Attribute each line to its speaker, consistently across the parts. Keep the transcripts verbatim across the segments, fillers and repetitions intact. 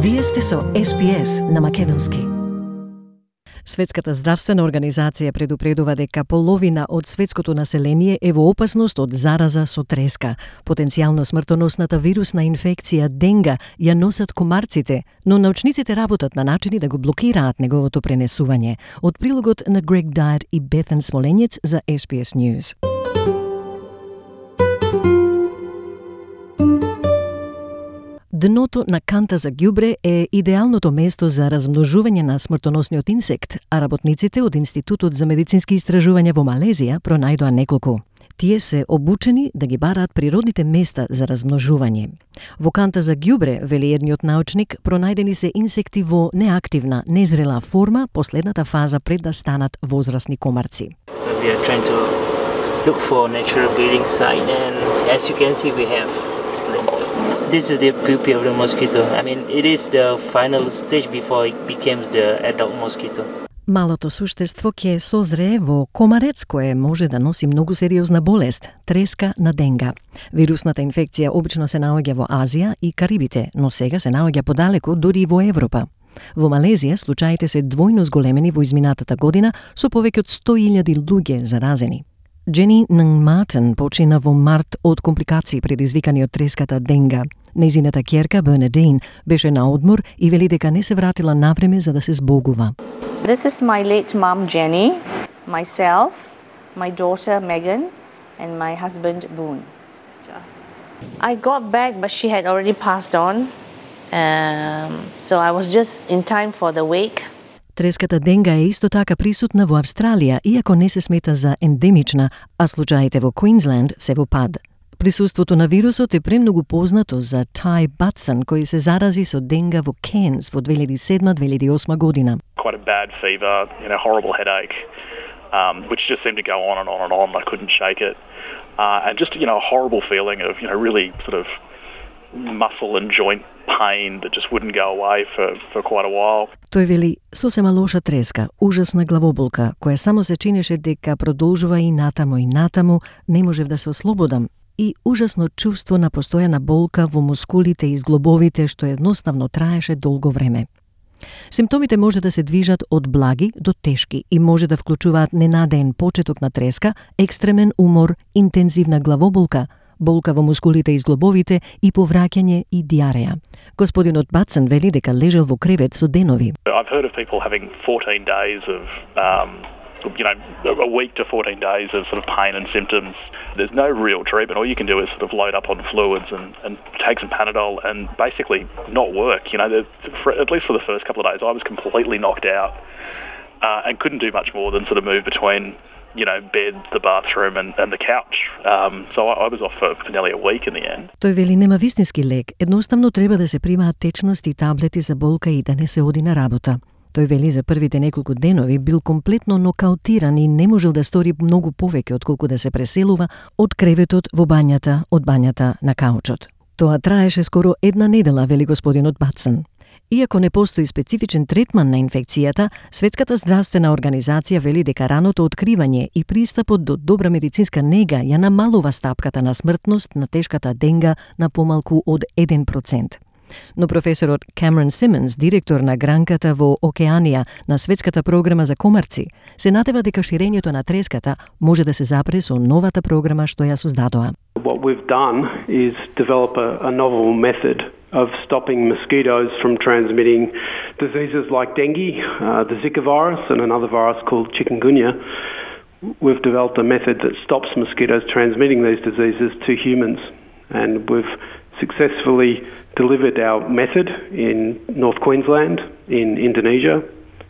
Speaker 1: Вие сте со Ес Би Ес на македонски. Светската здравствена организација предупредува дека половина од светското население е во опасност од зараза со треска. Потенцијално смртоносната вирусна инфекција денга ја носат комарците, но научниците работат на начини да го блокираат неговото пренесување. Од прилогот на Грег Дайер и Бетен Смоленец за Ес Би Ес News. Дното на канта за ѓубре е идеалното место за размножување на смртоносниот инсект, а работниците од Институтот за медицински истражувања во Малезија пронајдоа неколку. Тие се обучени да ги бараат природните места за размножување. Во канта за ѓубре, вели едниот научник, пронајдени се инсекти во неактивна, незрела форма, последната фаза пред да станат возрасни комарци.
Speaker 2: We are trying to look for natural breeding site, and as you can see we have this is the pupae of the mosquito. I mean, it is the final stage before it becomes the adult mosquito.
Speaker 1: Малото суштество ќе созрее во комарец кој може да носи многу сериозна болест – треска на денга. Вирусната инфекција обично се наоѓа во Азија и Карибите, но сега се наоѓа подалеку, дури и во Европа. Во Малезија случаите се двојно зголемени во изминатата година со повеќе од сто илјади луѓе заразени. Джени Ннгматен почина во март од компликации предизвикани од треската денга. Нејзината ќерка Бернадин беше на одмор и вели дека не се вратила навреме за да се збогува.
Speaker 3: This is my late mom Jenny, myself, my daughter Megan and my husband Boone. I got back but she had already passed on. Um, so I was just in time for the wake.
Speaker 1: Треската денга е исто така присутна во Австралија, иако не се смета за ендемична, а случаите во Квинсленд се во пад. Присуството на вирусот е премногу познато за Ty Batson, кој се зарази со денга во Кенс во две илјади и седма - две илјади и осма година.
Speaker 4: Quite a bad fever, you know, horrible headache, um, which just seemed to go on and on and on. I couldn't shake it. Uh, and just, you know, a horrible feeling of, you know, really sort of muscle and joint pain that just wouldn't go away for, for quite a while.
Speaker 1: Тој вели сосема лоша треска, ужасна главоболка, која само се чинеше дека продолжува и натаму и натаму, не можев да се ослободам, и ужасно чувство на постојана болка во мускулите и зглобовите што едноставно траеше долго време. Симптомите може да се движат од благи до тешки и може да вклучуваат ненадеен почеток на треска, екстремен умор, интензивна главоболка, болка во мускулите и зглобовите и повраќање и диареја. Господинот Батсен вели дека лежел во кревет со денови.
Speaker 4: I've heard of people having fourteen days of, um, you know, a week to fourteen days of sort of pain and symptoms. There's no real treatment. All you can do is sort of load up on fluids and, and take some Panadol and basically not work. You know, for, at least for the first couple of days, I was completely knocked out uh, and couldn't do much more than sort of move between, you know, bed, the bathroom and, and the couch. Um, so I, I was off for, for nearly a week in the end.
Speaker 1: Тој вели нема вистински лек. Едноставно треба да се примаат течности и таблети за болка и да не се оди на работа. Тој вели за првите неколку денови бил комплетно нокаутиран и не можел да стори многу повеќе отколку да се преселува од креветот во бањата, од бањата на каучот. Тоа траеше скоро една недела, вели господинот Батсен. Иако не постои специфичен третман на инфекцијата, Светската здравствена организација вели дека раното откривање и пристапот до добра медицинска нега ја намалува стапката на смртност на тешката денга на помалку од еден процент. Но професорот Камерон Симонс, директор на гранката во Океанија на Светската програма за комарци, се надева дека ширењето на треската може да се запре со новата програма што ја создадоа.
Speaker 5: What we've done is develop a, a novel method of stopping mosquitoes from transmitting diseases like dengue, uh, the Zika virus and another virus called chikungunya. We've developed a method that stops mosquitoes transmitting these diseases to humans, and we've successfully delivered our method in North Queensland, in Indonesia,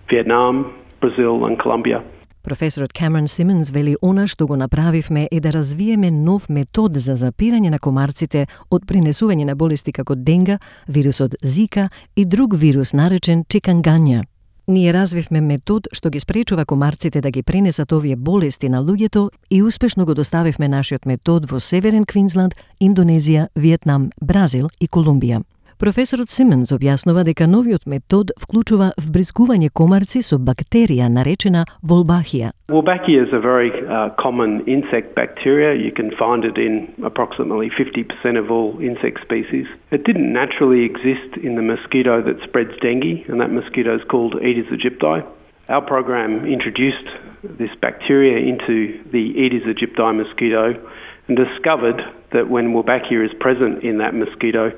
Speaker 5: Vietnam, Brazil and Colombia.
Speaker 1: Професорот Камерон Симонс вели она што го направивме е да развиеме нов метод за запирање на комарците од пренесување на болести како денга, вирусот Зика и друг вирус наречен чикангања. Ние развивме метод што ги спречува комарците да ги пренесат овие болести на луѓето и успешно го доставивме нашиот метод во Северен Квинсленд, Индонезија, Виетнам, Бразил и Колумбија. Професорот Симонс објаснува дека новиот метод вклучува вбрзгување комарци со бактерија наречена Wolbachia.
Speaker 5: Wolbachia is a very uh, common insect bacteria. You can find it in approximately fifty percent of all insect species. It didn't naturally exist in the mosquito that spreads dengue, and that mosquito is called Aedes aegypti. Our program introduced this bacteria into the Aedes aegypti mosquito and discovered that when Wolbachia is present in that mosquito,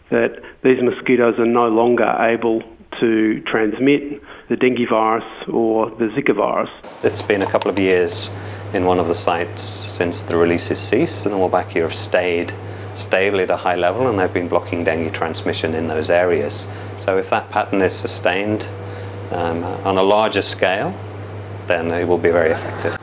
Speaker 5: that these mosquitoes are no longer able to transmit the dengue virus or the Zika virus.
Speaker 6: It's been a couple of years in one of the sites since the releases ceased, and the Wolbachia have stayed stably at a high level, and they've been blocking dengue transmission in those areas. So if that pattern is sustained um, on a larger scale, then it will be very effective.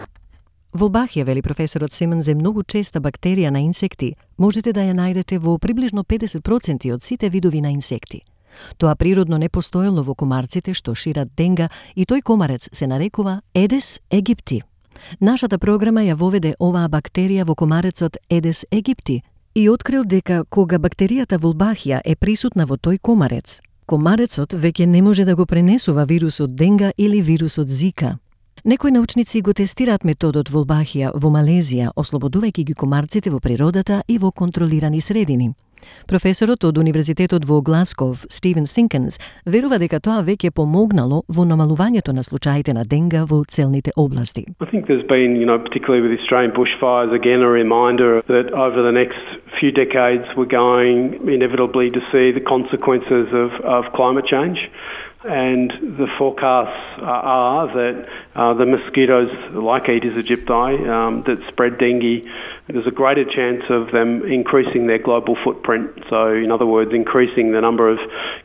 Speaker 1: Wolbachia, вели професорот Симонс, е многу честа бактерија на инсекти. Можете да ја најдете во приближно педесет проценти од сите видови на инсекти. Тоа природно не постоело во комарците што шират денга и тој комарец се нарекува Aedes aegypti. Нашата програма ја воведе оваа бактерија во комарецот Aedes aegypti и открил дека кога бактеријата Wolbachia е присутна во тој комарец, комарецот веќе не може да го пренесува вирусот денга или вирусот Зика. Некои научници го тестираат методот Wolbachia во Малезија, ослободувајќи ги комарците во природата и во контролирани средини. Професорот од Универзитетот во Гласков, Стивен Синкенс, верува дека тоа веќе помогнало во намалувањето на случаите на денга во целните области.
Speaker 5: I think there's been, you know, particularly with Australian bushfires, again a reminder that over the next few decades we're going inevitably to see the consequences of, of climate change. And the forecasts are that uh, the mosquitoes like Aedes aegypti um, that spread dengue, there's a greater chance of them increasing their global footprint. So, in other words, increasing the number of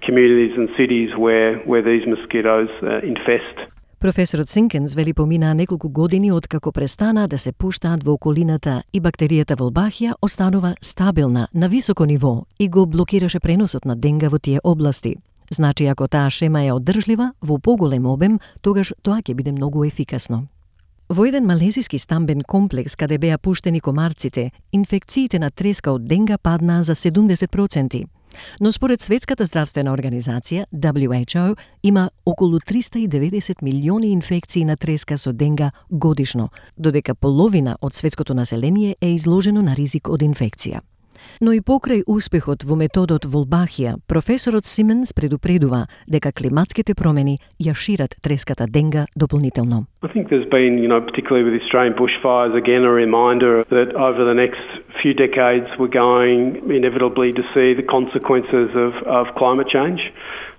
Speaker 5: communities and cities where, where these mosquitoes uh, infest.
Speaker 1: Професорот Синкенс вели поминаа неколку години откако престана да се пуштаат во околината и бактеријата Wolbachia останува стабилна на високо ниво и го блокираше преносот на денга во тие области. Значи, ако таа шема е одржлива во поголем обем, тогаш тоа ќе биде многу ефикасно. Во еден малезиски стамбен комплекс каде беа пуштени комарците, инфекциите на треска од денга паднаа за седумдесет проценти. Но според Светската здравствена организација, W H O, има околу триста и деветдесет милиони инфекции на треска со денга годишно, додека половина од светското население е изложено на ризик од инфекција. Но и покрај успехот во методот Wolbachia, професорот Симонс предупредува дека климатските промени ја шират треската денга дополнително.
Speaker 5: I think there's been, you know, particularly with Australian bushfires, again a reminder that over the next few decades we're going inevitably to see the consequences of, of climate change.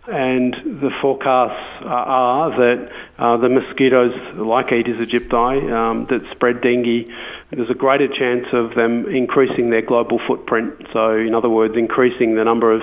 Speaker 5: And the forecasts are that uh, the mosquitoes like Aedes aegypti um, that spread dengue, there's a greater chance of them increasing their global footprint. So, in other words, increasing the number of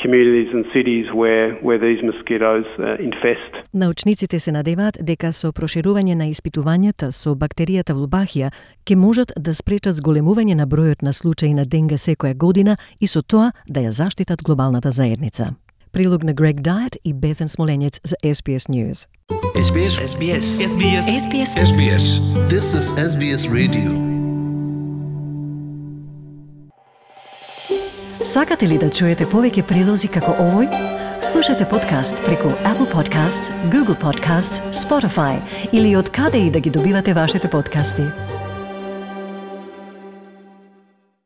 Speaker 5: communities and cities where, where these mosquitoes uh, infest.
Speaker 1: Научниците се надеваат дека со проширување на испитувањата со бактеријата Wolbachia ќе можат да спречат зголемување на бројот на случаи на денга секоја година и со тоа да ја заштитат глобалната заедница. Прилог на Грег Дайет и Бетен Смоленец за S B S News.
Speaker 7: S B S. S B S. S B S. S B S. S B S. This is S B S Radio.
Speaker 1: Сакате ли да чуете повеќе прилози како овој? Слушате подкаст преку Apple Podcasts, Google Podcasts, Spotify или од каде и да ги добивате вашите подкасти.